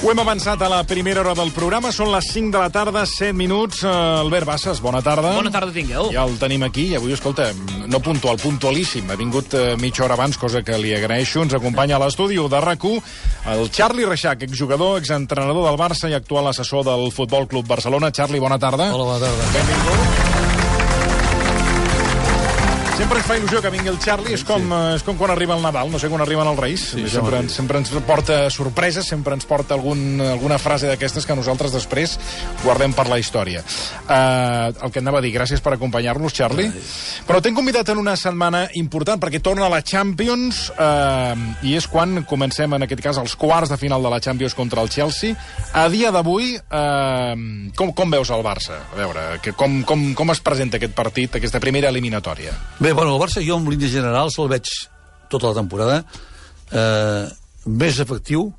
Ho hem avançat a la primera hora del programa, són les 5 de la tarda, 7 minuts. Albert Bassas, bona tarda. Bona tarda tingueu. Ja el tenim aquí, i avui, escolta, no puntual, puntualíssim. Ha vingut mitja hora abans, cosa que li agraeixo. Ens acompanya a l'estudi de RAC1 el Charly Reixach, exjugador, exentrenador del Barça i actual assessor del Futbol Club Barcelona. Charly, bona tarda. Hola, bona tarda. Benvingut. Sempre ens fa il·lusió que vingui el Charly, és com quan arriba el Nadal, no sé, quan arriben els Reis. Sí, sempre ens porta sorpreses, sempre ens porta alguna frase d'aquestes que nosaltres després guardem per la història. El que anava a dir, gràcies per acompanyar-nos, Charly. Però t'hem convidat en una setmana important, perquè torna a la Champions, i és quan comencem, en aquest cas, els quarts de final de la Champions contra el Chelsea. A dia d'avui, com veus el Barça? A veure, com es presenta aquest partit, aquesta primera eliminatòria? Bé, bueno, el Barça jo en línies generals el veig tota la temporada més efectiu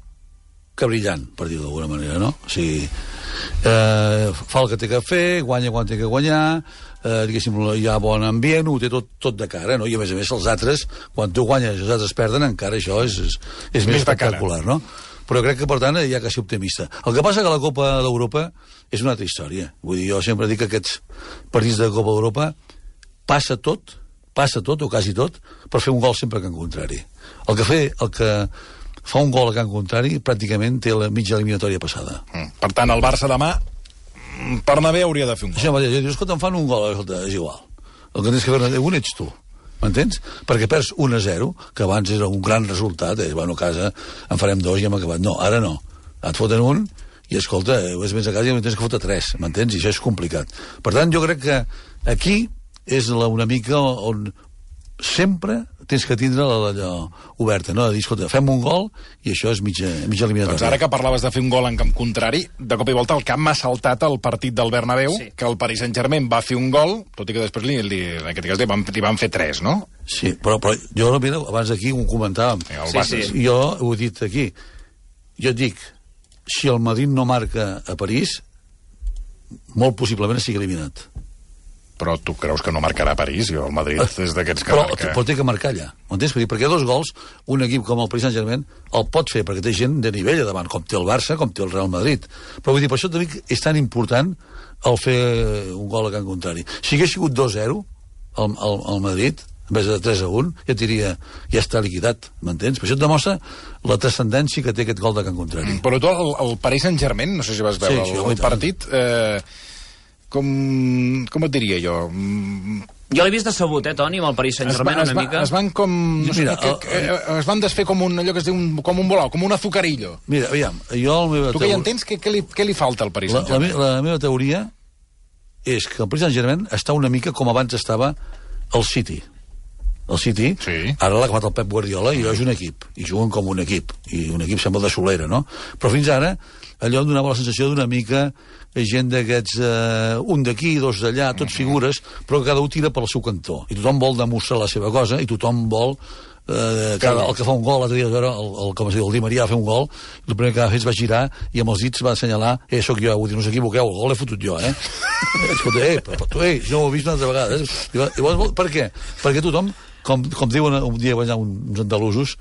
que brillant, per dir-ho d'alguna manera, no? O sigui, fa el que té que fer, guanya quan té que guanyar, diguéssim, hi ha bon ambient, ho té tot de cara, no? I a més, els altres, quan tu guanyes i els altres perden, encara això és més espectacular, no? Però crec que, per tant, hi ha que ser optimista. El que passa que la Copa d'Europa és una altra història. Vull dir, jo sempre dic que aquests partits de Copa d'Europa passa tot, o quasi tot, per fer un gol sempre a Can Contrari. El que fa un gol a Can Contrari pràcticament té la mitja eliminatòria passada. Per tant, el Barça demà, per anar bé, hauria de fer un gol. Això mateix, dius, escolta, em fan un gol, escolta, és igual. El que tens que fer un ets tu, m'entens? Perquè perds 1-0, que abans era un gran resultat, bueno, a casa en farem 2 i hem acabat. No, ara no. Et foten un i, escolta, vés a casa i tens que fotre 3, m'entens? I això és complicat. Per tant, jo crec que aquí és una mica on sempre tens que tindre l'allò oberta, no? De dir, escolta, fem un gol i això és mitja eliminatòria. Doncs ara que parlaves de fer un gol en camp contrari, de cop i volta el camp m'ha saltat el partit del Bernabéu, sí, que el Paris Saint-Germain va fer un gol, tot i que després en aquest cas li van fer 3, no? Sí, però jo, mira, abans aquí ho comentàvem. Sí. Jo ho he dit aquí. Jo et dic, si el Madrid no marca a París, molt possiblement sigui eliminat. Però tu creus que no marcarà a París? Jo, el Madrid és d'aquests que marca. Però té que marcar allà, m'entens? Perquè 2 gols, un equip com el Paris Saint-Germain el pot fer, perquè té gent de nivell a davant, com té el Barça, com té el Real Madrid. Però vull dir, per això també és tan important el fer un gol a Can Contrari. Si hagués sigut 2-0 al Madrid, en vez de 3-1, ja et diria, ja està liquidat, m'entens? Per això et demostra la transcendència que té aquest gol de Can Contrari. Però tu, el Paris Saint-Germain, no sé si vas veure el partit... Com et diria jo? Jo l'he vist decebut, Toni, amb el Paris Saint-Germain una mica. Es van com... es van desfer com allò que es diu com un volau, com un azucarillo. Mira, aviam, jo... Tu que ja entens què li falta al Paris Saint-Germain? La meva teoria és que el Paris Saint-Germain està una mica com abans estava el City. El City, sí, ara l'ha acabat el Pep Guardiola i és un equip, i juguen com un equip, i un equip sembla de solera, no? Però fins ara allò em donava la sensació d'una mica gent d'aquests, un d'aquí, 2 d'allà, tots figures, però cada un tira pel seu cantó, i tothom vol demostrar la seva cosa, i tothom vol el que fa un gol, l'altre dia com es diu, el Di Maria va fer un gol, el primer que va fer va girar i amb els dits va assenyalar, sóc jo, vull dir, no us equivoqueu, el gol l'he fotut jo, escolta, però tu, jo ho he vist una altra vegada, per què? Perquè tothom, com diuen un dia uns andalusos,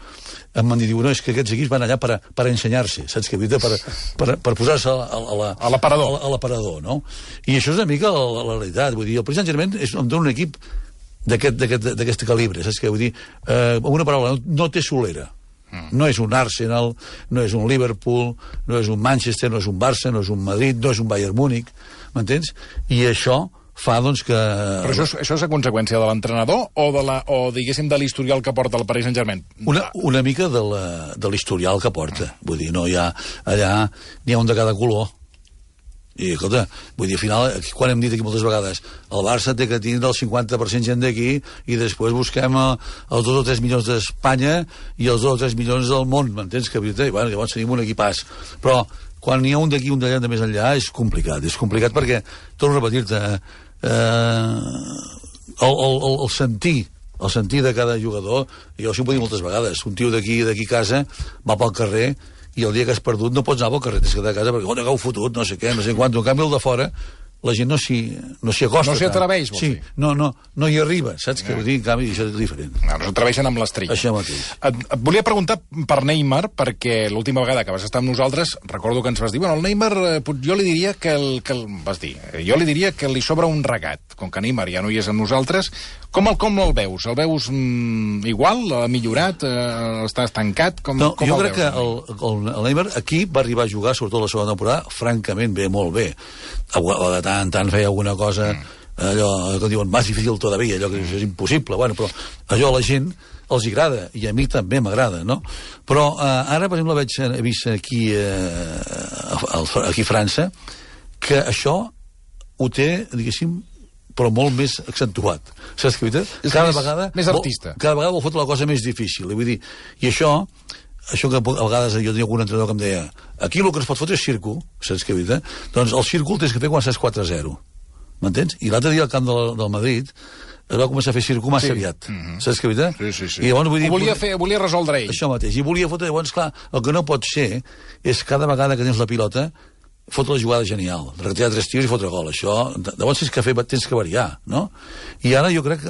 em van dir, no, és que aquests equips van allà per ensenyar-se, saps què? Per posar-se a l'aparador, no? I això és una mica la realitat, vull dir, el Paris Saint-Germain és un equip d'aquest calibre, saps què? Vull dir, amb una paraula, no té solera. No és un Arsenal, no és un Liverpool, no és un Manchester, no és un Barça, no és un Madrid, no és un Bayern Múnich, m'entens? I això fa, doncs, que... Però això és a conseqüència de l'entrenador o diguéssim, de l'historial que porta el Paris Saint-Germain? Una mica de l'historial que porta. Vull dir, no hi ha... Allà n'hi ha un de cada color. I, escolta, vull dir, al final, quan hem dit aquí moltes vegades, el Barça té que tindre el 50% gent d'aquí i després busquem els 2 o 3 milions d'Espanya i els 2 o 3 milions del món, m'entens? Que, bueno, llavors tenim un equipàs. Però quan n'hi ha un d'aquí i un d'allà de més enllà és complicat perquè, torno a repetir-te, el sentir de cada jugador, jo ho puc dir moltes vegades, un tio d'aquí a casa va pel carrer i el dia que has perdut no pots anar pel carrer, tens que quedar a casa perquè, que heu fotut, no sé què, no sé quant. En canvi, el de fora, la gent no s'hi acosta. No s'hi atreveix, vols dir? No hi arriba, saps? Que vull dir, en canvi, això és diferent. No s'atreveixen amb l'estrella. Això mateix. Et volia preguntar per Neymar, perquè l'última vegada que vas estar amb nosaltres, recordo que ens vas dir, bueno, el Neymar, jo li diria que jo li diria que li sobra un regat, com que Neymar ja no hi és amb nosaltres. Com el veus? El veus igual? Ha millorat? Està estancat? Jo crec que el Neymar aquí va arribar a jugar, sobretot la segona temporada, francament bé, molt bé. De tant en tant feia alguna cosa, allò que diuen, més difícil todavía, allò que és impossible, bueno, però allò a la gent els agrada, i a mi també m'agrada, no? Però ara, per exemple, he vist aquí a França, que això ho té, diguéssim, però molt més accentuat. Saps què? Cada vegada... Més artista. Cada vegada vol fotre la cosa més difícil. I vull dir, i això que a vegades jo tenia algun entrenador que em deia, aquí el que es pot fotre és circo, saps què? Doncs el circo el tens que fer quan estàs 4-0. M'entens? I l'altre dia al camp del Madrid es va començar a fer circo massa aviat. Saps què? Sí. I llavors, vull dir, volia resoldre ell. Això mateix. I volia fotre, llavors, clar, el que no pot ser és cada vegada que tens la pilota fotre la jugada genial, regatear 3 tirs i fotre gol. Això, llavors tens que variar, no? I ara jo crec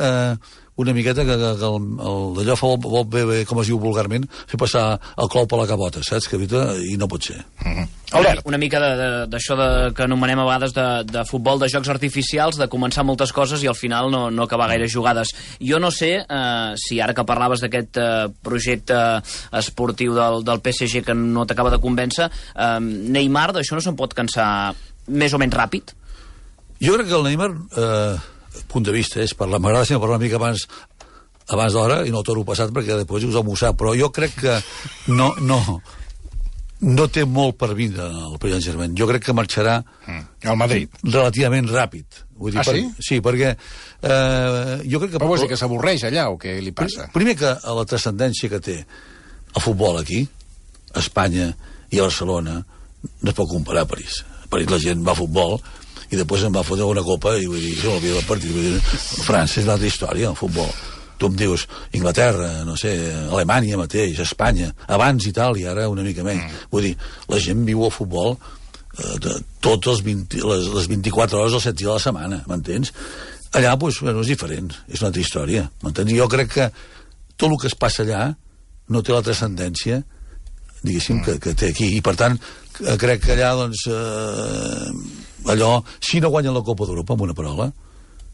una miqueta que d'allò vol bé, com es diu vulgarment, fer passar el clau per la cabota, saps? I no pot ser. Albert. Una mica d'això que anomenem a vegades de futbol, de jocs artificials, de començar moltes coses i al final no acabar gaire jugades. Jo no sé si ara que parlaves d'aquest projecte esportiu del PSG que no t'acaba de convèncer, Neymar d'això no se'n pot cansar més o menys ràpid? Jo crec que el Neymar, punt de vista, m'agrada sempre parlar una mica abans d'hora i no el toro passat perquè després us ho sap, però jo crec que no té molt per vindre el Paris Saint-Germain. Jo crec que marxarà al Madrid relativament ràpid. Vull dir, sí? Sí, perquè jo crec que... Però vols dir que s'avorreix allà o què li passa? Primer que la transcendència que té el futbol aquí, a Espanya i a Barcelona, no es pot comparar a París. A París la gent va a futbol i després em va fotre una copa i vull dir, se m'olvida el partit. Vull dir, França és una altra història, el futbol. Tu em dius Inglaterra, no sé, Alemanya mateix, Espanya, abans Itàlia, ara una mica menys. Vull dir, la gent viu el futbol totes les 24 hores dels 7 dies a la setmana, m'entens? Allà, doncs, bueno, és diferent, és una altra història, m'entens? Jo crec que tot el que es passa allà no té la transcendència, diguéssim, que té aquí, i per tant, crec que allà, doncs, allò, si no guanyen la Copa d'Europa, amb una paraula,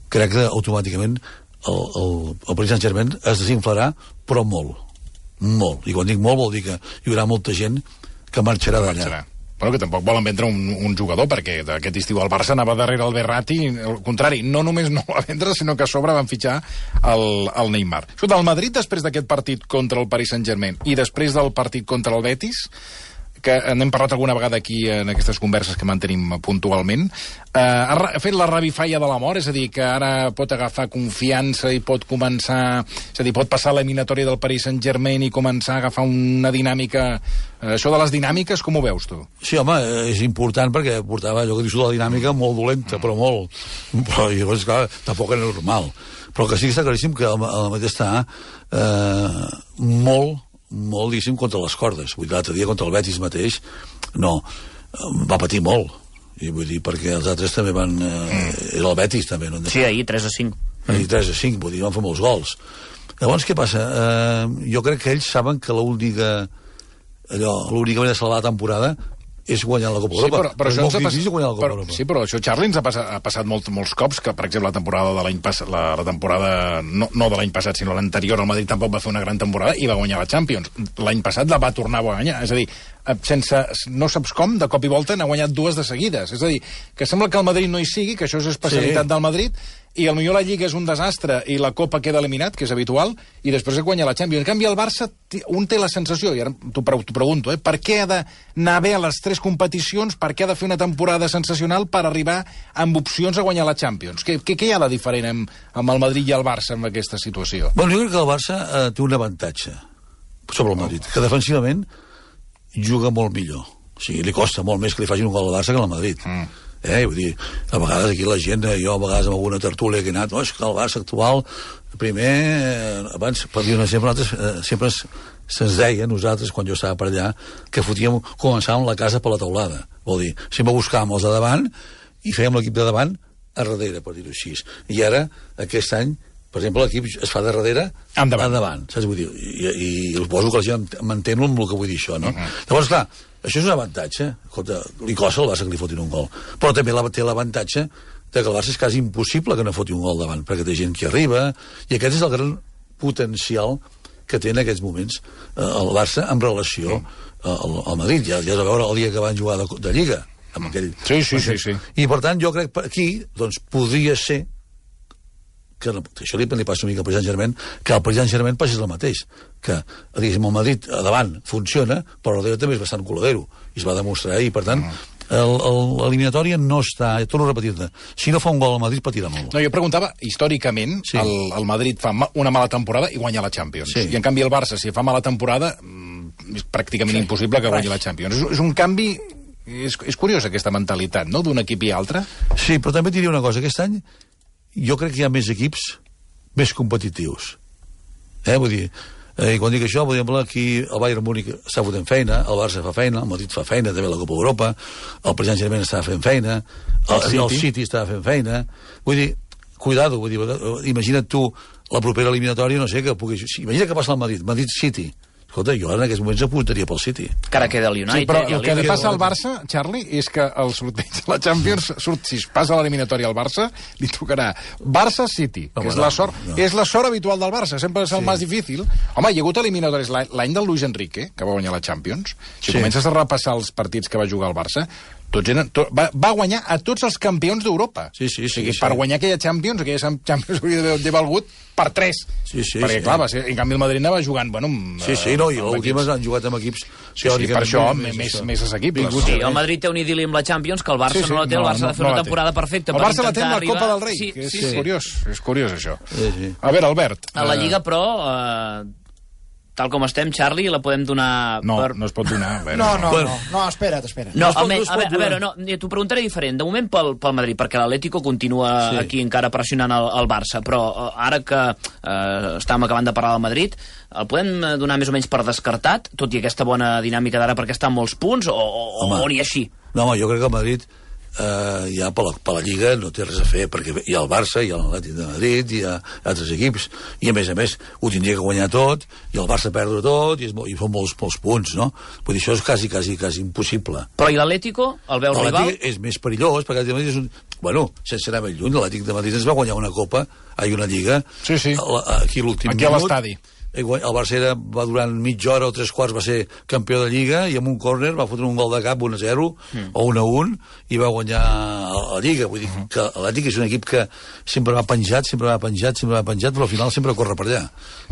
crec que automàticament el Paris Saint-Germain es desinflarà, però molt. I quan dic molt vol dir que hi haurà molta gent que marxarà d'allà. Bueno, que tampoc volen vendre un jugador, perquè aquest estiu el Barça anava darrere el Verratti, al contrari, no només no va vendre, sinó que a sobre van fitxar el Neymar. Escolta, el Madrid, després d'aquest partit contra el Paris Saint-Germain i després del partit contra el Betis, que n'hem parlat alguna vegada aquí en aquestes converses que mantenim puntualment, ha fet la revifalla de la mort, és a dir, que ara pot agafar confiança i pot començar, és a dir, pot passar l'eliminatòria del Paris Saint-Germain i començar a agafar una dinàmica. Això de les dinàmiques, com ho veus tu? Sí, home, és important perquè portava allò que dius de la dinàmica molt dolenta, però molt. Però llavors, clar, tampoc era normal. Però que sí que està claríssim que el Madrid està molt, diguéssim, contra les cordes. Vull dir, l'altre dia contra el Betis mateix, no, va patir molt. I vull dir, perquè els altres també van... Era el Betis, també. No? Sí, ahir 3-5. Ahir 3-5, vull dir, van fer molts gols. Llavors, què passa? Jo crec que ells saben que l'única manera de salvar la temporada és guanyar la Copa Europa. Però això sí, però això, Charlie, ens ha passat molts cops, que, per exemple, la temporada de l'any passat, la temporada no de l'any passat, sinó l'anterior, el Madrid tampoc va fer una gran temporada i va guanyar la Champions. L'any passat la va tornar a guanyar, és a dir, no saps com, de cop i volta n'ha guanyat 2 de seguides. És a dir, que sembla que el Madrid no hi sigui, que això és especialitat del Madrid, i potser la Lliga és un desastre i la Copa queda eliminat, que és habitual, i després guanya la Champions. En canvi, el Barça, un té la sensació, i ara t'ho pregunto, per què ha d'anar bé a les 3 competicions, per què ha de fer una temporada sensacional per arribar amb opcions a guanyar la Champions? Què hi ha de diferent amb el Madrid i el Barça en aquesta situació? Bueno, jo crec que el Barça té un avantatge sobre el Madrid, que defensivament juga molt millor. O sigui, li costa molt més que li facin un gol al Barça que al Madrid. Vull dir, a vegades aquí la gent, jo a vegades amb alguna tertúlia que he anat, és que el Barça actual, primer, abans, per dir un exemple, sempre se'ns deia, nosaltres, quan jo estava per allà, que començàvem la casa per la teulada. Vol dir, sempre buscàvem els de davant i fèiem l'equip de davant a darrere, per dir-ho així. I ara, aquest any, per exemple, l'equip es fa de darrere a davant, saps? Vull dir, i suposo que la gent m'entén amb el que vull dir això, no? Llavors, clar, això és un avantatge. Escolta, li costa al Barça que li fotin un gol. Però també té l'avantatge que el Barça és quasi impossible que no foti un gol davant, perquè té gent que arriba, i aquest és el gran potencial que té en aquests moments el Barça en relació al Madrid. Ja has de veure el dia que van jugar de Lliga amb aquell... Sí. I per tant jo crec que aquí doncs, podria ser que això li passa una mica al Paris Saint-Germain, que al Paris Saint-Germain passés el mateix, que diguéssim, el Madrid a davant funciona, però el darrere també és bastant coladero, i es va demostrar, i per tant l'eliminatòria no està, torno a repetir-te, si no fa un gol al Madrid patirà molt. No, jo preguntava, històricament, el Madrid fa una mala temporada i guanya la Champions. I en canvi el Barça, si fa mala temporada, és pràcticament impossible que guanyi la Champions. És un canvi... És curiós, aquesta mentalitat, no?, d'un equip i altre. Sí, però també et diria una cosa, aquest any jo crec que hi ha més equips més competitius. Vull dir, quan dic això, per exemple, aquí el Bayern Múnich està fotent feina, el Barça fa feina, el Madrid fa feina, també la Copa Europa, el Paris Saint-Germain està fent feina, el City està fent feina. Vull dir, cuidado, vull dir, imagina't tu la propera eliminatòria, no sé, que pugui... Imagina que passa al Madrid, Madrid-City. Escolta, jo en aquests moments apuntaria pel City. Encara queda el United. Sí, però el que li passa al Barça, Charlie, és que el sorteig de la Champions, si es passa a l'eliminatòria al Barça, li tocarà Barça-City, que és la sort habitual del Barça, sempre és el més difícil. Home, hi ha hagut eliminatòries l'any del Luis Enrique, que va guanyar la Champions. Si comences a repassar els partits que va jugar al Barça, va guanyar a tots els campions d'Europa. Per guanyar aquella Champions hauria d'haver valgut per 3. Perquè, clar, en canvi el Madrid anava jugant, bueno... i l'últim han jugat amb equips... per això, més assequibles. Sí, el Madrid té un idili amb la Champions, que el Barça no la té, el Barça ha de fer una temporada perfecta. El Barça la té amb la Copa del Rei, que és curiós, això. A veure, Albert... A la Lliga, però... tal com estem, Charlie, la podem donar... No es pot donar. No, espera't. No, a veure, t'ho preguntaré diferent. De moment pel Madrid, perquè l'Atlético continua aquí encara pressionant el Barça, però ara que estàvem acabant de parlar del Madrid, el podem donar més o menys per descartat, tot i aquesta bona dinàmica d'ara perquè està en molts punts, o ni així? No, home, jo crec que el Madrid ja per la Lliga no té res a fer, perquè hi ha el Barça, hi ha l'Atlètic de Madrid, hi ha altres equips, i a més ho tindria que guanyar tot, i el Barça perdre tot, i són molts punts, no? Vull dir, això és quasi impossible. Però i l'Atlético, el veus rival? L'Atlètic és més perillós, perquè l'Atlètic de Madrid és un... Bueno, sense anar més lluny, l'Atlètic de Madrid ens va guanyar una Lliga, aquí l'últim minut. Aquí a l'estadi. El Barça va durant mitja hora o 3/4 va ser campió de Lliga, i amb un córner va fotre un gol de cap 1-0 o 1-1 i va guanyar la Lliga. Vull dir que l'Atlètic és un equip que sempre va penjat, però al final sempre corre per allà.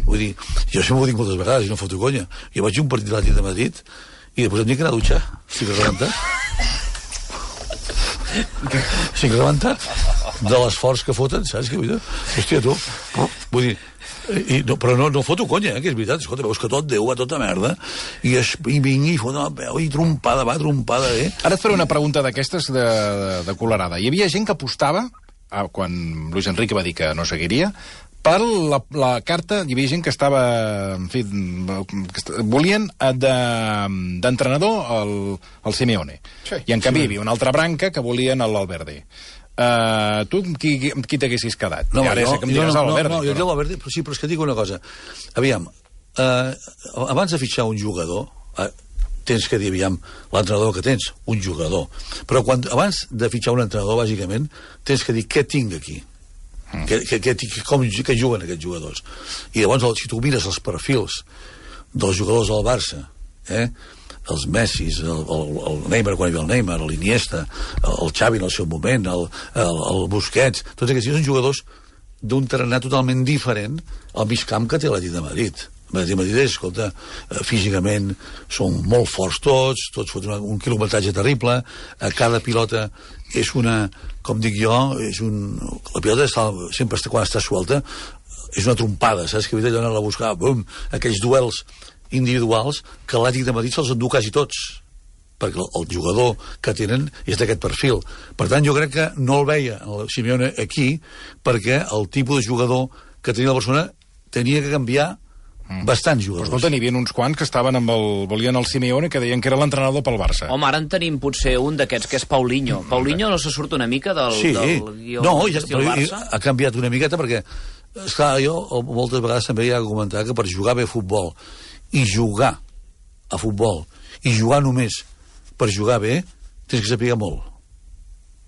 Vull dir, jo sempre ho dic moltes vegades i no foto conya. Jo vaig a un partit de l'Atlètic de Madrid i després em dic que anar a dutxar. Estic rebentat de l'esforç que foten, saps què vull dir? Hòstia, tu, vull dir, però no foto conya, que és veritat. Escolta, veus que tot Déu va tota merda i vingui i fot la peu i trompada, Ara et faré una pregunta d'aquestes de colerada. Hi havia gent que apostava, quan Luis Enrique va dir que no seguiria, per la carta, hi havia gent que estava, en fi, volien d'entrenador el Simeone. I en canvi hi havia una altra branca que volien l'Alverde. Tu qui t'haguessis quedat? No, jo dic l'Alverde, però sí, però és que dic una cosa. Aviam, abans de fitxar un jugador, tens que dir, aviam, l'entrenador que tens, un jugador. Però abans de fitxar un entrenador, bàsicament, tens que dir què tinc aquí. Que juguen aquests jugadors. I llavors, si tu mires els perfils dels jugadors del Barça, els Messis, el Neymar quan hi havia el Neymar, l'Iniesta, el Xavi en el seu moment, el Busquets, tots aquests són jugadors d'un tarannà totalment diferent al mig camp que té l'Atlètic de Madrid. L'Atlètic de Madrid, escolta, físicament són molt forts tots foten un quilometratge terrible, cada pilota és una, com dic jo, la pilota sempre quan està suelta és una trompada, saps? Que havia d'anar a buscar, aquells duels individuals que l'Atlètic de Madrid se'ls endú quasi tots, perquè el jugador que tenen és d'aquest perfil. Per tant, jo crec que no el veia el Simeone aquí perquè el tipus de jugador que tenia la Barcelona tenia que canviar bastants jugadors. Però escolta, n'hi havia uns quants que estaven volien el Simeone, que deien que era l'entrenador pel Barça. Home, ara en tenim potser un d'aquests, que és Paulinho. Paulinho no se surt una mica del guió d'estil Barça? Ha canviat una miqueta perquè, esclar, jo moltes vegades també hi ha de comentar que per jugar bé a futbol i jugar a futbol i jugar només per jugar bé, tens que saber molt.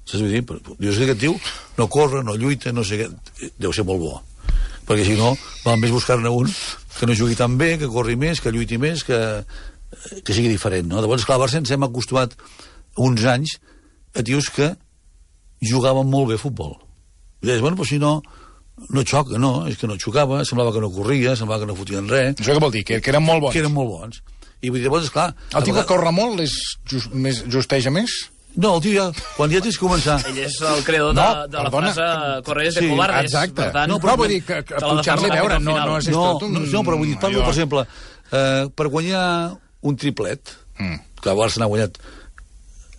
Saps què dir? Dius que aquest tio no corre, no lluita, no sé què, deu ser molt bo. Perquè si no, val més buscar-ne un que no jugui tan bé, que corri més, que lluiti més, que sigui diferent, no? Llavors, clar, al Barça ens hem acostumat uns anys a tios que jugaven molt bé a futbol. I deies, bueno, però si no xoca, no, és que no xocava, semblava que no corria, semblava que no fotien res. Això què vol dir? Que eren molt bons? Que eren molt bons. I vull dir, llavors, esclar... El tio que corre molt justeja més? No, el tio ja, quan ja tens que començar... Ell és el creador de la frase correr de cobardes. Exacte. Per tant, no, però vull dir que pujar-li, veure, no és tot un... No, però vull dir, parlo, per exemple, per guanyar un triplet, que el Barça n'ha guanyat,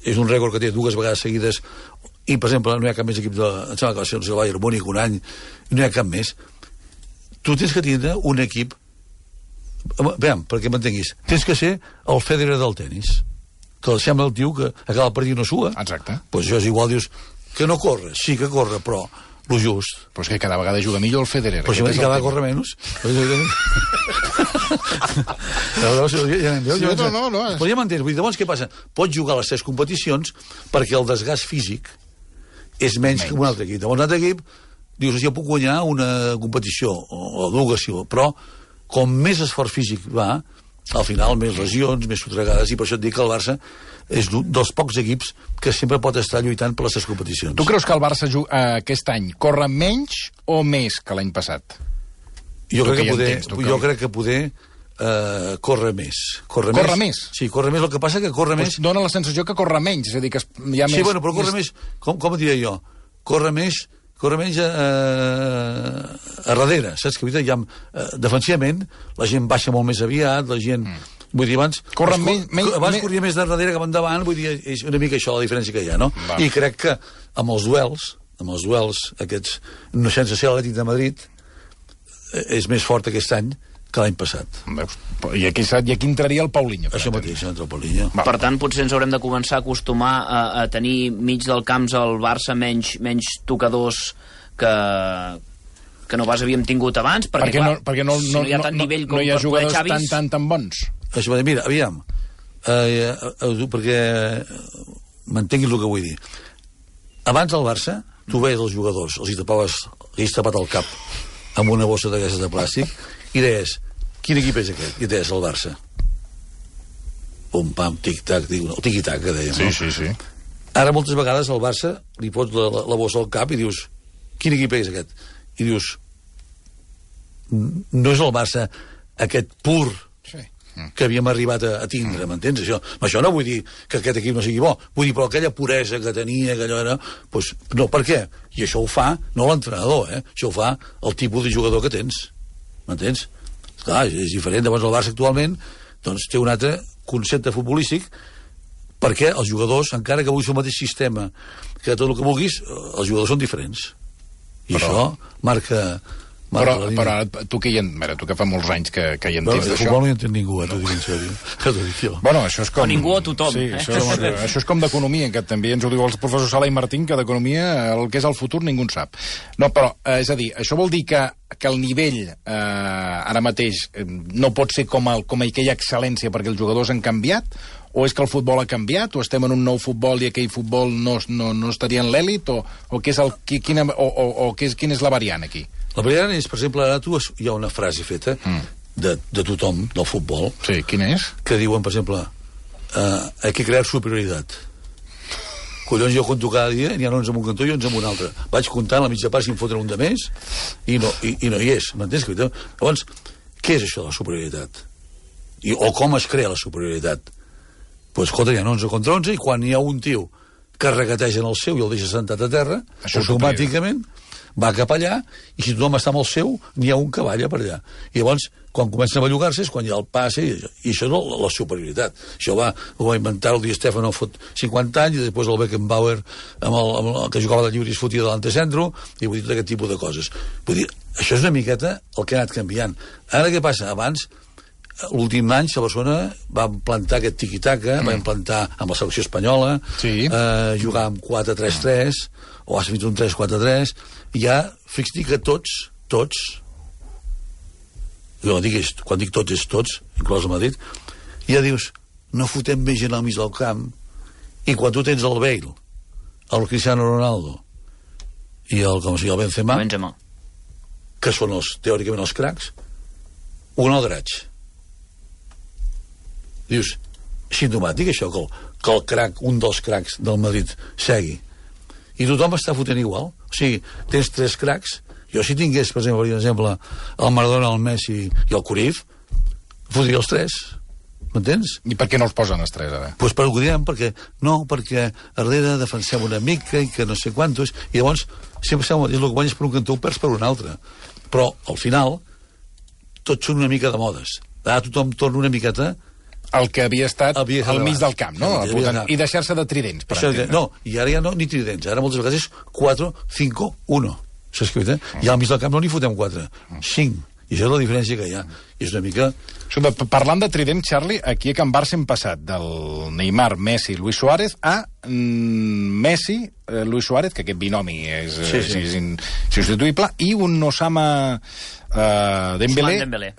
és un rècord que té 2 vegades seguides, i, per exemple, no hi ha cap més equip em sembla que va ser el Bayern Múnich un any, no hi ha cap més. Tu tens que tindre un equip... Veiem, perquè m'entenguis, tens que ser el Federer del tenis, que sembla el tio que acaba el partit no sua. Exacte. Pues això és igual, dius, que no corre, sí que corre, però lo just. Però és que cada vegada juga millor el Federer. Però si cada vegada corre menys. No. Però ja m'entens, vull dir, llavors què passa? Pots jugar a les 3 competicions perquè el desgast físic és menys que un altre equip. Llavors un altre equip, dius, jo puc guanyar una competició, o dues, però com més esforç físic va, al final més lesions, més sotregades, i per això et dic que el Barça és dels pocs equips que sempre pot estar lluitant per les 3 competicions. Tu creus que el Barça aquest any corre menys o més que l'any passat? Jo crec que poder corre més. Corre més? Sí, corre més. El que passa que corre més... Dóna la sensació que corre menys, és a dir, que hi ha més... Sí, bueno, però corre més... Com ho diria jo? Corre més a darrere, saps? Que defensivament la gent baixa molt més aviat, la gent... Vull dir, abans corria més de darrere que endavant, vull dir, és una mica això la diferència que hi ha, no? I crec que amb els duels aquests, no sense ser l'Atlètic de Madrid, és més fort aquest any que l'any passat. I aquí entraria el Paulinho. Això mateix, entra el Paulinho. Per tant, potser ens haurem de començar a acostumar a tenir mig del camp al Barça menys tocadors que no pas havíem tingut abans, perquè si no hi ha tant nivell com per poder Xavis... tan bons. Això, mira, aviam, perquè m'entenguis el que vull dir. Abans del Barça, tu veies els jugadors, els hi tapat el cap amb una bossa d'aquestes de plàstic, i deies, quin equip és aquest? I deies, el Barça. Pum, pam, tic-tac, el tiqui-tac, que dèiem. Sí. Ara, moltes vegades, al Barça li pots la bossa al cap i dius, quin equip és aquest? I dius, no és el Barça aquest pur que havíem arribat a tindre, m'entens? Això no vull dir que aquest equip no sigui bo, vull dir, però aquella puresa que tenia, que allò era... Doncs, no, per què? I això ho fa, no l'entrenador, això ho fa el tipus de jugador que tens. M'entens? Clar, és diferent. Llavors el Barça actualment doncs, té un altre concepte futbolístic perquè els jugadors, encara que vulguis el mateix sistema que tot el que vulguis, els jugadors són diferents. I això marca Però tu que fa molts anys que hi entens d'això... De futbol no hi entén ningú, t'ho dic en sèrio. Bueno, això és com... O ningú o tothom. Sí, això és com d'economia, que també ens ho diu el professor Sala i Martín, que d'economia el que és el futur ningú en sap. No, però, és a dir, això vol dir que el nivell ara mateix no pot ser com aquella excel·lència perquè els jugadors han canviat, o és que el futbol ha canviat, o estem en un nou futbol i aquell futbol no estaria en l'èlit, o quina és la variant aquí? La variant és, per exemple, ara hi ha una frase feta de tothom, del futbol. Sí, quina és? Que diuen, per exemple, hay que crear superioritat. Collons, jo conto cada dia, n'hi ha 11 en un cantó i 11 en un altre. Vaig comptant la mitja part si em foten un de més i no hi és, m'entens? Llavors, què és això de la superioritat? O com es crea la superioritat? Doncs, escolta, hi ha 11 contra 11 i quan hi ha un tio que regateja en el seu i el deixa sentat a terra, automàticament va cap allà, i si tothom està amb el seu, n'hi ha un que balla per allà. I llavors, quan comencen a bellugar-se, és quan hi ha el passe, i això és la superioritat. Això ho va inventar el Di Stefano fot 50 anys, i després el Beckenbauer, amb el que jugava de lliure i es fotia de l'antecentro, i vull dir, tot aquest tipus de coses. Vull dir, això és una miqueta el que ha anat canviant. Ara què passa? Abans, l'últim any, a Barcelona va implantar aquest tiqui-taca, va implantar amb la selecció espanyola, jugar amb 4-3-3, o has fet un 3-4-3, i ja, fixi que tots, quan dic tots és tots, inclòs el Madrid, ja dius, no fotem més gent al mig del camp, i quan tu tens el Bale, el Cristiano Ronaldo, i el Benzema, que són teòricament els cracs, un al draig. Dius, simptomàtic això, que el crac, un dels cracs del Madrid segui. I tothom està fotent igual. O sigui, tens 3 cracs. Jo si tingués, per exemple, el Maradona, el Messi i el Cruyff, fotria els 3. M'entens? I per què no els posen els 3, ara? Doncs per ho direm, perquè a darrere defensem una mica i que no sé quantos, i llavors sempre és el que guanyes per un cantó, ho perds per un altre. Però, al final, tots són una mica de modes. Ara tothom torna una miqueta el que havia estat al mig del camp, no? I deixar-se de tridents, per entendre. No, i ara ja no, ni tridents. Ara moltes vegades és 4-5-1. S'ha escrit, I al mig del camp no n'hi fotem 4, 5. I això és la diferència que hi ha. I és una mica... Parlant de trident, Charlie, aquí a Can Barça hem passat del Neymar, Messi, Luis Suárez a Messi, Luis Suárez, que aquest binomi és substituïble, i un Osama Dembélé,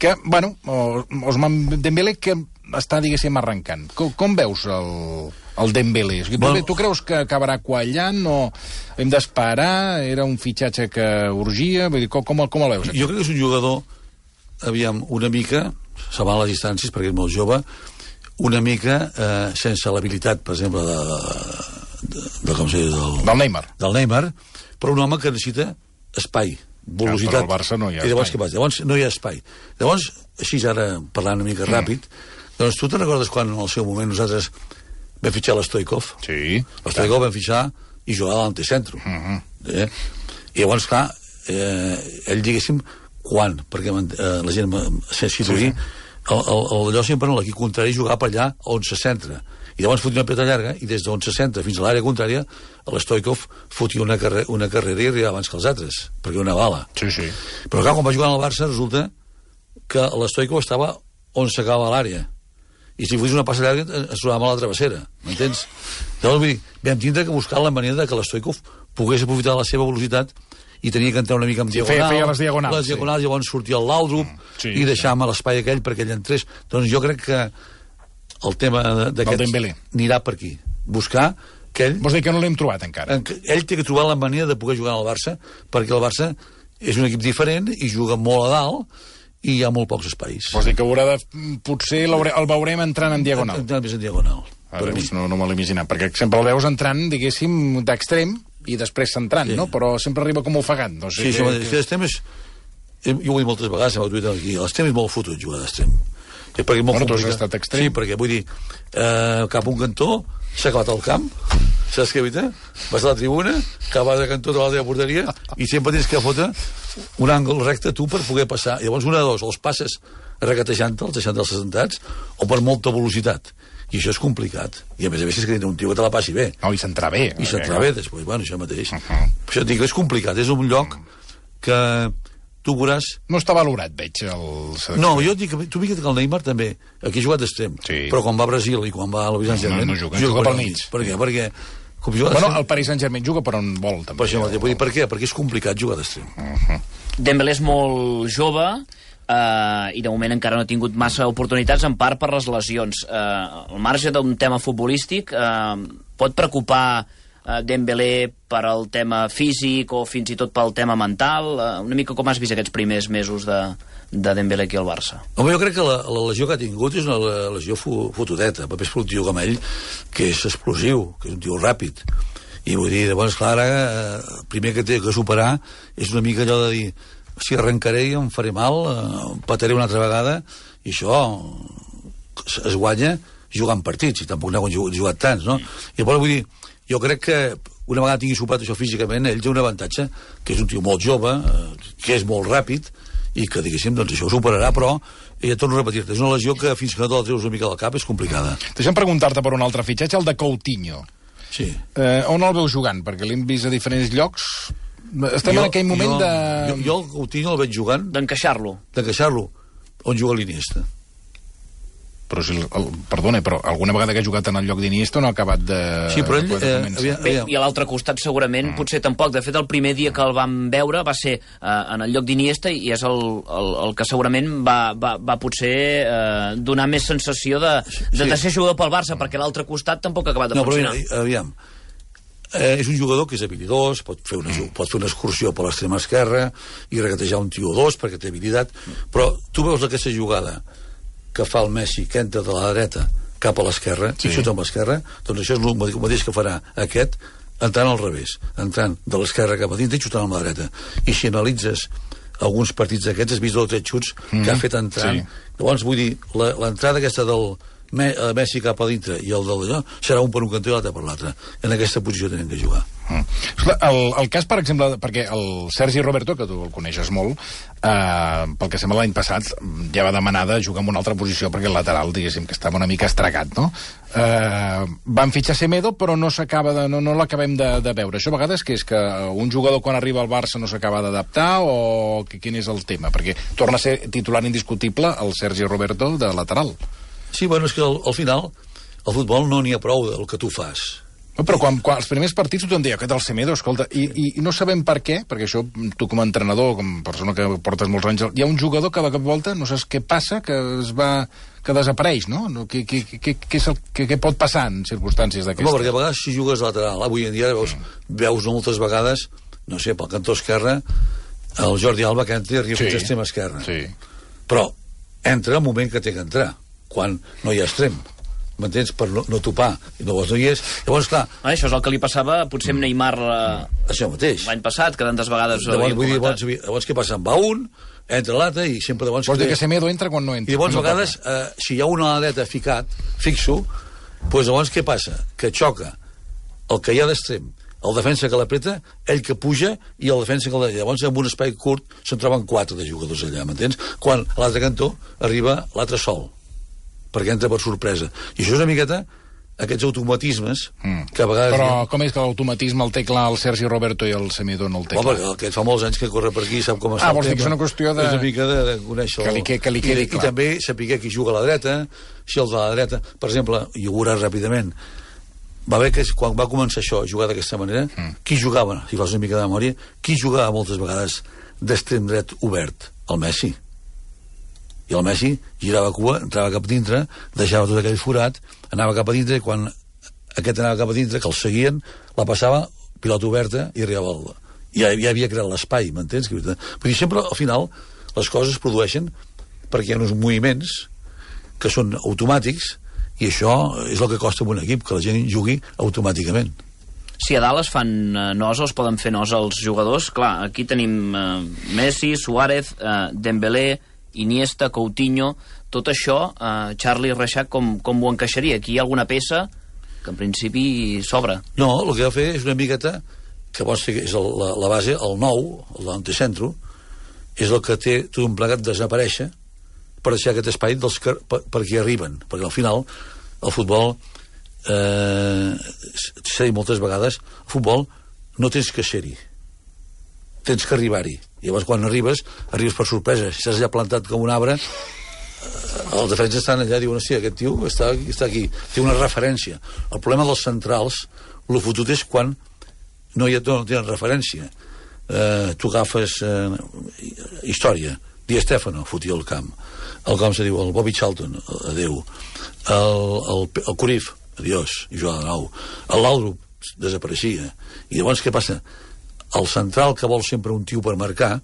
que, bueno, Ousmane Dembélé, que està, diguéssim, arrencant. Com veus el Dembélé? Tu creus que acabarà quallant o hem d'esperar? Era un fitxatge que urgia? Vull dir, com el veus? Jo crec que és un jugador, aviam, una mica, salvant les distàncies perquè és molt jove, una mica sense l'habilitat, per exemple, del Neymar. Del Neymar, però un home que necessita espai, velocitat. Però al Barça no hi ha espai. Llavors no hi ha espai. Llavors, així ara, parlant una mica ràpid, doncs tu te'n recordes quan en el seu moment nosaltres vam fitxar l'Stoikov? Sí. L'Stoikov vam fitxar i jugava a l'antecentro. I llavors, clar, ell, diguéssim, quan? Perquè la gent se situï, allò sempre en l'equip contrari jugava per allà on se centra. I llavors fotia una peta llarga i des d'on se centra fins a l'àrea contrària l'Stoikov fotia una carrera i arribava abans que els altres, perquè una bala. Sí. Però clar, quan va jugar al Barça resulta que l'Stoikov estava on s'acaba l'àrea. I si fos una passa llarga ens trobàvem a la travessera, m'entens? Llavors, vull dir, vam tindre que buscar la manera que l'Stoikov pogués aprofitar la seva velocitat i tenia que entrar una mica en diagonal. Feia les diagonals. Les diagonals, llavors sortia el Laudrup i deixàvem l'espai aquell perquè ell entrés. Doncs jo crec que el tema d'aquest anirà per aquí. Buscar que ell... Vols dir que no l'hem trobat encara? Ell té que trobar la manera de poder jugar al Barça, perquè el Barça és un equip diferent i juga molt a dalt i hi ha molt pocs espais. Vols dir que potser el veurem entrant en diagonal? Entrant més en diagonal. No me l'he imaginat, perquè sempre el veus entrant, diguéssim, d'extrem i després centrant, no? Però sempre arriba com ofegant. Sí, l'extrem és... Jo ho he dit moltes vegades, l'extrem és molt fotut jugar d'extrem. Bueno, tu has estat extrem. Sí, perquè vull dir, cap un cantó, s'ha acabat el camp, saps què, vas a la tribuna, acabes de cantó de la teva porteria, i sempre tens que fotre un àngol recte tu per poder passar. I llavors una de dos, els passes regatejant-te'ls, deixant-te'ls assentats, o per molta velocitat. I això és complicat. I a més és que un tio que te la passi bé. No, i s'entrà bé. I s'entrà bé, després, bueno, això mateix. Això dic, és complicat, és un lloc que tu veuràs... No està valorat, veig, el... No, jo dic, tu fixa't que el Neymar també, aquí ha jugat d'extrem, però quan va a Brasil i quan va a la Paris Saint-Germain... No juga pel mig. Per què? Perquè... Bueno, el Paris Saint-Germain juga per on vol, també. Per què? Perquè és complicat jugar d'extrem. Dembélé és molt jove, i de moment encara no ha tingut massa oportunitats, en part per les lesions. Al marge d'un tema futbolístic, pot preocupar Dembélé per al tema físic o fins i tot pel tema mental? Una mica com has vist aquests primers mesos de Dembélé aquí al Barça? Home, jo crec que la lesió que ha tingut és una lesió fotudeta, més per un tio com ell, que és explosiu, que és un tio ràpid. I vull dir, llavors, clar, el primer que té que superar és una mica allò de dir, si arrencaré i em faré mal, pataré una altra vegada, i això es guanya jugant partits, i tampoc n'ha jugat tants, no? I llavors, vull dir, jo crec que una vegada tingui superat això físicament, ell té un avantatge, que és un tio molt jove, que és molt ràpid, i que, diguéssim, doncs això ho superarà, però ja torno a repetir-te, és una lesió que fins que no te la treus una mica del cap és complicada. Deixa'm preguntar-te per un altre fitxatge, el de Coutinho. Sí. On el veus jugant? Perquè l'hem vist a diferents llocs. Estem en aquell moment de... Jo el Coutinho el veig jugant... D'encaixar-lo. On juga l'Iniesta. Però perdona, però alguna vegada que ha jugat en el lloc d'Iniesta no ha acabat de... Sí, però ell... Bé, i a l'altre costat segurament potser tampoc. De fet, el primer dia que el vam veure va ser en el lloc d'Iniesta i és el que segurament va potser donar més sensació de ser jugador pel Barça, perquè l'altre costat tampoc ha acabat de funcionar. No, però aviam, és un jugador que és habilidós, pot fer una excursió per l'extrema esquerra i regatejar un tio o dos perquè té habilitat, però tu veus aquesta jugada que fa el Messi, que entra de la dreta cap a l'esquerra, i xuta amb l'esquerra, doncs això és el mateix que farà aquest entrant al revés, entrant de l'esquerra cap a dintre i xutant amb la dreta. I si analitzes alguns partits d'aquests, has vist 2 o 3 xuts que ha fet entrant. Llavors, vull dir, l'entrada aquesta del Messi cap a dintre i el d'allò serà un per un cantó i l'altre per l'altre. En aquesta posició tenen que jugar. El cas, per exemple, perquè el Sergi Roberto, que tu el coneixes molt, pel que sembla l'any passat ja va demanar de jugar en una altra posició perquè el lateral, diguéssim, que estava una mica estragat, no? Van fitxar Semedo, però no l'acabem de veure. Això a vegades que és que un jugador quan arriba al Barça no s'acaba d'adaptar o quin és el tema? Perquè torna a ser titular indiscutible el Sergi Roberto de lateral. Sí, bueno, és que al final al futbol no n'hi ha prou del que tu fas. Però quan els primers partits tothom deia aquest el Semedo, escolta, i no sabem per què, perquè això tu com a entrenador, com a persona que portes molts anys, hi ha un jugador que de cap volta no saps què passa, que desapareix, no? Què pot passar en circumstàncies d'aquestes? No, perquè a vegades si jugues lateral, avui en dia veus moltes vegades, no sé, pel cantó esquerre, el Jordi Alba que entra i arriba fins a extrem esquerre. Sí. Però entra el moment que té que entrar, quan no hi ha extrem. M'entens? Per no topar. Llavors no hi és. Llavors, clar... Això és el que li passava potser amb Neymar això mateix. L'any passat, que tantes vegades llavors què passa? En va un, entra l'altre i sempre... Vols dir que Semedo entra quan no entra. I llavors a vegades, si hi ha una aleta fixo, doncs llavors què passa? Que xoca el que hi ha d'extrem, el defensa que l'apreta, ell que puja i el defensa que llavors en un espai curt se'n troben 4 de jugadors allà, m'entens? Quan a l'altre cantó arriba l'altre sol, perquè entra per sorpresa. I això és una miqueta aquests automatismes que a vegades... Però com és que l'automatisme el té clar el Sergi Roberto i el Semedo no el té clar? Perquè aquest fa molts anys que corre per aquí, sap com està el tema. Vols dir que és una qüestió de... És una mica de conèixer... Que li quedi clar. I també saber qui juga a la dreta, si el de la dreta... Per exemple, i ho veuràs ràpidament, va haver que quan va començar això, jugar d'aquesta manera, qui jugava, si fas una mica de memòria, qui jugava moltes vegades d'extrem dret obert? El Messi. I el Messi girava cua, entrava cap dintre, deixava tot aquell forat, anava cap a dintre, i quan aquest anava cap a dintre, que el seguien, la passava, pilota oberta, i arribava al... Ja havia creat l'espai, m'entens? Vull dir, sempre, al final, les coses es produeixen perquè hi ha uns moviments que són automàtics, i això és el que costa en un equip, que la gent jugui automàticament. Si a dalt es fan nosa, es poden fer nosa als jugadors, clar, aquí tenim Messi, Suárez, Dembélé, Iniesta, Coutinho, tot això, Charlie Reixac, com ho encaixaria? Aquí hi ha alguna peça que en principi s'obre. No, el que va fer és una miqueta, que vols fer, és la base, el nou, l'anticentro, és el que té tot un plegat desaparèixer per deixar aquest espai per qui arriben, perquè al final el futbol s'ha dit moltes vegades, el futbol no tens que ser-hi, tens que arribar-hi. Llavors quan arribes per sorpresa, si estàs allà plantat com un arbre, els defenses estan allà i diuen, hòstia, aquest tio està aquí, té una referència. El problema dels centrals, el fotut és quan no tenen referència. Tu agafes història, Di Stefano fotia el camp, com se diu, el Bobby Charlton, adeu, el Cruyff, adiós, i jugava de nou, l'Aldrup desapareixia, i llavors què passa? El central que vol sempre un tio per marcar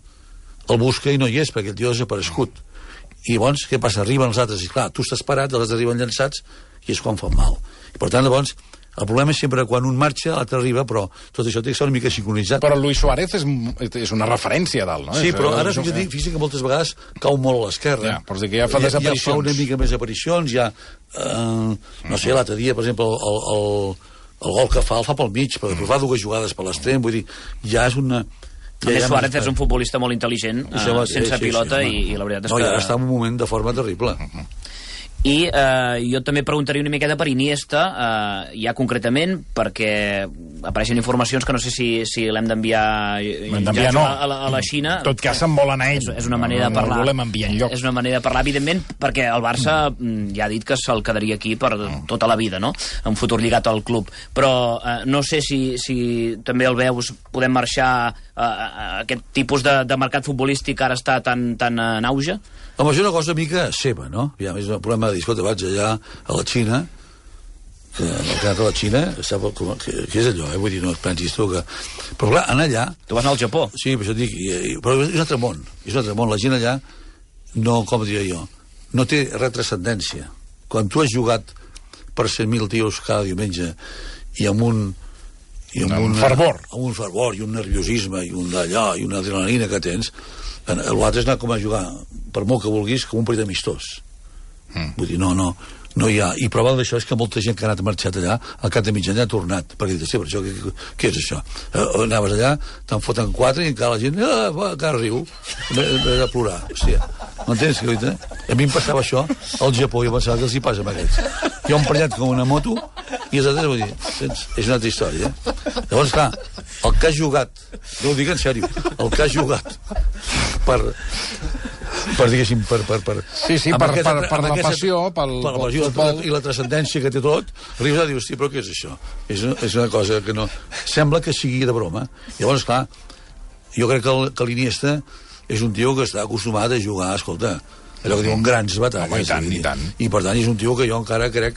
el busca i no hi és perquè el tio ha desaparegut, i llavors què passa? Arriben els altres i clar, tu estàs parat, els altres arriben llançats i és quan fan mal, i per tant llavors el problema és sempre quan un marxa l'altre arriba, però tot això té que ser una mica sincronitzat. Però Luis Suárez és una referència a dalt, no? Sí, però ara físic que moltes vegades cau molt a l'esquerra, però que ja fa desaparicions, ja fa una mica més aparicions, ja no sé, l'altre dia per exemple el gol que fa el fa pel mig, però després fa 2 jugades per l'extrem, vull dir, ja és una... A més, Suárez és un futbolista molt intel·ligent, sense pilota, i la veritat és que... No, i ara està en un moment de forma terrible. I jo també preguntaria una miqueta per Iniesta, ja concretament, perquè apareixen informacions que no sé si l'hem d'enviar a la Xina. En tot cas, se'n volen a ell. És una manera de parlar. No el volem enviar enlloc. És una manera de parlar, evidentment, perquè el Barça ja ha dit que se'l quedaria aquí per tota la vida, no? Un futur lligat al club. Però no sé si també el veus, podem marxar a aquest tipus de mercat futbolístic que ara està tan en auge? Home, és una cosa mica seva, no? Ja, és un problema de dir, escolta, vaig allà a la Xina, que el que ha anat a la Xina, que és allò, vull dir, no et pensis tu que... Però clar, anar allà... Tu vas anar al Japó? Sí, per això et dic, però és un altre món, la gent allà, no, com diria jo, no té res transcendència. Quan tu has jugat per 100.000 tios cada diumenge i amb un fervor. Amb un fervor i un nerviosisme i un d'allò i una adrenalina que tens, l'altre és anar com a jugar, per molt que vulguis, com un partit amistós. Vull dir, no hi ha... I prova d'això és que molta gent que ha anat marxat allà, al cap de mig any ha tornat, perquè dius, sí, però això, què és això? Anaves allà, te'n foten 4 i encara la gent, encara riu, de plorar. Hòstia, m'entens? A mi em passava això al Japó, jo pensava que els hi passa amb aquests. Jo em emprenyat com una moto i els altres, vull dir, és una altra història. Llavors, clar, el que ha jugat, no ho dic en sèrio, el que ha jugat per diguéssim, per la passió, i la transcendència que té tot, arribes a dir, hosti, però què és això? És una cosa que no... Sembla que sigui de broma. Llavors, clar, jo crec que l'Iniesta és un tio que està acostumat a jugar, escolta, allò que diuen grans batalles. I tant. I per tant és un tio que jo encara crec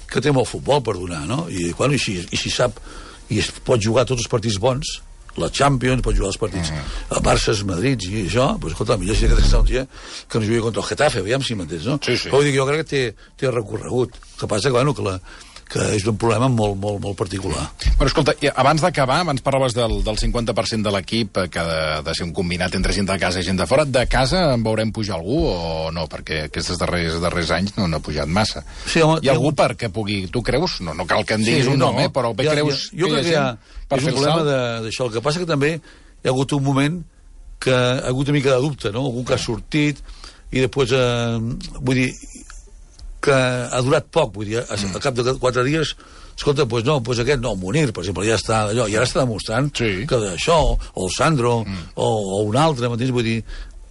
que té molt futbol per donar, no? I si sap, i es pot jugar tots els partits bons, la Champions, pot jugar els partits a Barça, Madrid i això, doncs escolta, millor si aquest un dia que no jugui contra el Getafe, aviam si m'entens, no? Sí. Però vull dir que jo crec que té recorregut. El que passa que, bueno, que és un problema molt, molt, molt particular. Però escolta, abans d'acabar, abans parlaves del 50% de l'equip que ha de ser un combinat entre gent de casa i gent de fora. De casa en veurem pujar algú o no? Perquè aquests darrers anys no ha pujat massa. Sí, home, hi ha algú perquè pugui... Tu creus? No cal que en diguis un nom, però bé creus... Jo crec que és un problema d'això. El que passa que també hi ha hagut un moment que ha hagut una mica de dubte, no? Algú que ha sortit i després, vull dir, que ha durat poc, vull dir, al cap de 4 dies, escolta, doncs no, doncs aquest no, Munir, per exemple, ja està allò, i ara està demostrant que d'això, o el Sandro, o un altre, m'entens? Vull dir,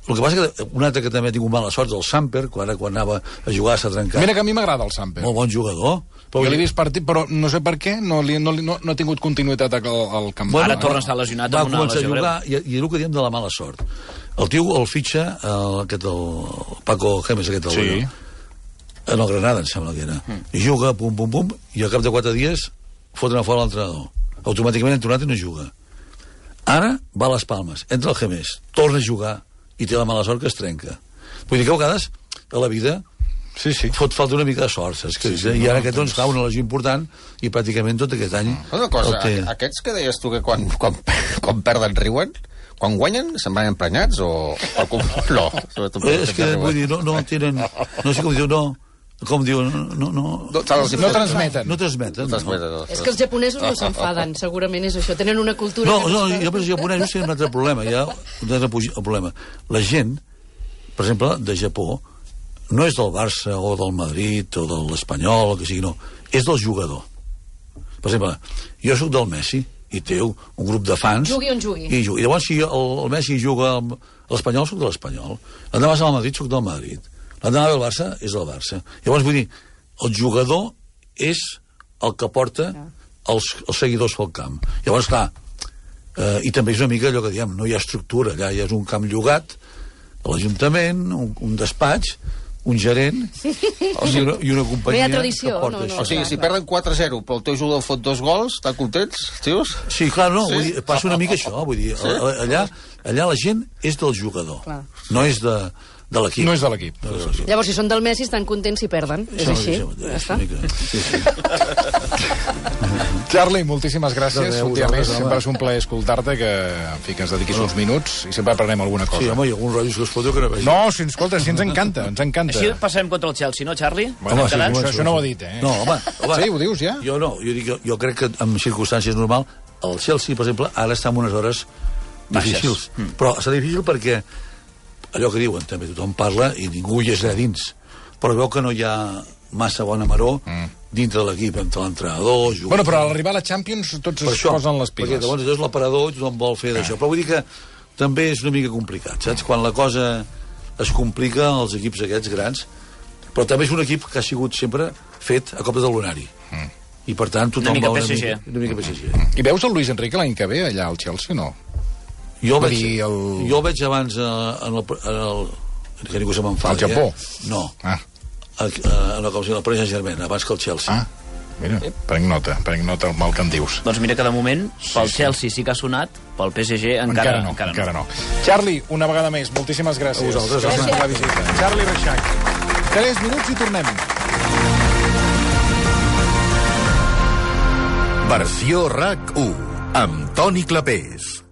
el que passa que un altre que també ha tingut mala sort és el Samper, quan anava a jugar s'ha trencat. Mira que a mi m'agrada el Samper. Molt bon jugador. Jo l'he vist partit, però no sé per què no ha tingut continuïtat al camp. Bueno, ara torna a estar lesionat amb una lesió greu. I el que diem de la mala sort. El tio el fitxa, el Paco Gémez, en el Granada, em sembla que era. I juga, pum, i al cap de 4 dies foten a fora l'entrenador. Automàticament entornat i no juga. Ara va a les Palmes, entra el Gémez, torna a jugar i té la mala sort que es trenca. Vull dir que a vegades a la vida fot falta una mica de sort, saps? I ara aquest doncs fa una lesió important i pràcticament tot aquest any... Una cosa, aquests que deies tu que quan perden riuen, quan guanyen se'n van emprenyats o no? És que, vull dir, no tenen... No sé com diu, no... Com diu, no transmeten. No transmeten. És que els japonesos no s'enfaden, segurament és això. Tenen una cultura... No, jo penso que els japonesos tenen un altre problema. Hi ha un altre problema. La gent, per exemple, de Japó, no és del Barça o del Madrid o de l'Espanyol o que sigui, no. És del jugador. Per exemple, jo sóc del Messi i té un grup de fans... Jugui on jugui. I llavors, si el Messi juga a l'Espanyol, sóc de l'Espanyol. L'endemà vas al Madrid, sóc del Madrid. L'endemà del Barça és del Barça. Llavors, vull dir, el jugador és el que porta els seguidors pel camp. Llavors, clar, i també és una mica allò que diem, no hi ha estructura, allà ja és un camp llogat, l'Ajuntament, un despatx, un gerent i una companyia... No hi ha tradició, no. O sigui, si perden 4-0 però el teu jugador fot 2 gols, estan contents, tios? Sí, clar, no, vull dir, passa una mica això, vull dir, allà la gent és del jugador, no és de l'equip. No és de l'equip. Llavors, si són del Messi, estan contents si perden. És així. Ja està. Charlie, moltíssimes gràcies. De res, Un dia més, vosaltres, sempre home. és un plaer escoltar-te, que, en fi, que ens dediquis uns minuts i sempre aprenem alguna cosa. Sí, home, hi ha algun rotllo que us foto que no veig. No, si escolta, si ens encanta, ens encanta. Així passarem contra el Chelsea, no, Charlie? Bueno, Home, sí, això, home, això no ho ha dit, eh? No, home. Sí, ho dius ja? Jo no, jo crec que en circumstàncies normal el Chelsea, per exemple, ara està en unes hores difícils. Però està difícil perquè allò que diuen, també tothom parla i ningú hi és allà dins. Però veu que no hi ha massa bona maror dintre de l'equip, entre l'entrenador, jugadors... Bueno, però a l'arribar a la Champions tots es posen les piles. Perquè llavors allò és l'aparador i tothom vol fer d'això. Però vull dir que també és una mica complicat, saps? Quan la cosa es complica als equips aquests grans, però també és un equip que ha sigut sempre fet a cop de lunari. I per tant tothom Una mica va PSG. Una mica PSG. I veus el Luis Enrique l'any que ve allà al Chelsea, no? Jo Va veig, dir jo veig abans en el que ningú se m'enfadi. Al Japó? No. Ah, En el Paris Saint-Germain, abans que el Chelsea. mira, prenc nota el mal que em dius. Doncs mira que de moment pel Chelsea sí que ha sonat, pel PSG encara no. Charlie, una vegada més, moltíssimes gràcies. A vosaltres, gràcies per la visita. Charlie Reixac. 3 minuts i tornem. Versió RAC 1 amb Toni Clapés.